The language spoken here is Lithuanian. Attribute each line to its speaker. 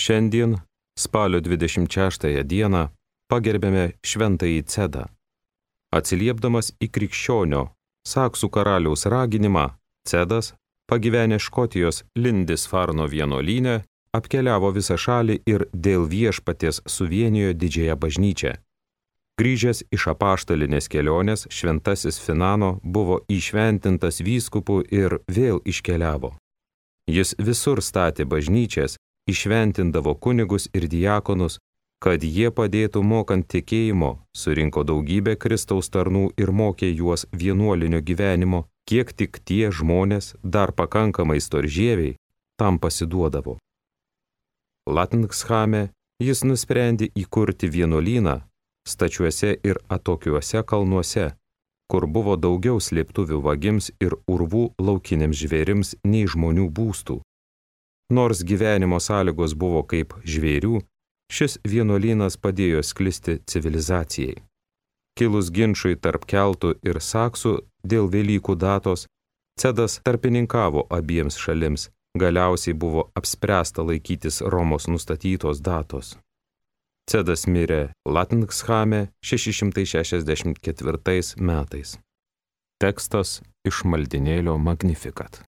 Speaker 1: Šiandien, spalio 26 dieną, pagerbėme šventąjį Cedą. Atsiliepdamas į krikščionio Saksų karaliaus raginimą, Cedas, pagyvenęs Škotijos Lindisfarno vienuolyne, apkeliavo visą šalį ir dėl viešpaties suvienijo didžiąją bažnyčią. Grįžęs iš apaštalinės kelionės, šventasis Finano buvo įšventintas vyskupu ir vėl iškeliavo. Jis visur statė bažnyčias, įšventindavo kunigus ir diakonus, kad jie padėtų mokant tikėjimo, surinko daugybę Kristaus tarnų ir mokė juos vienuolinio gyvenimo, kiek tik tie žmonės, dar pakankamai storžieviai, tam pasiduodavo. Latningshame jis nusprendė įkurti vienuolyną stačiuose ir atokiuose kalnuose, kur buvo daugiau slėptuvių vagims ir urvų laukiniams žvėrims nei žmonių būstų. Nors gyvenimo sąlygos buvo kaip žvėrių, šis vienuolynas padėjo sklisti civilizacijai. Kilus ginčui tarp keltų ir saksų dėl Velykų datos, Cedas tarpininkavo abiems šalims, galiausiai buvo apspręsta laikytis Romos nustatytos datos. Cedas mirė Latningshame 664 metais. Tekstas iš maldinėlio Magnificat.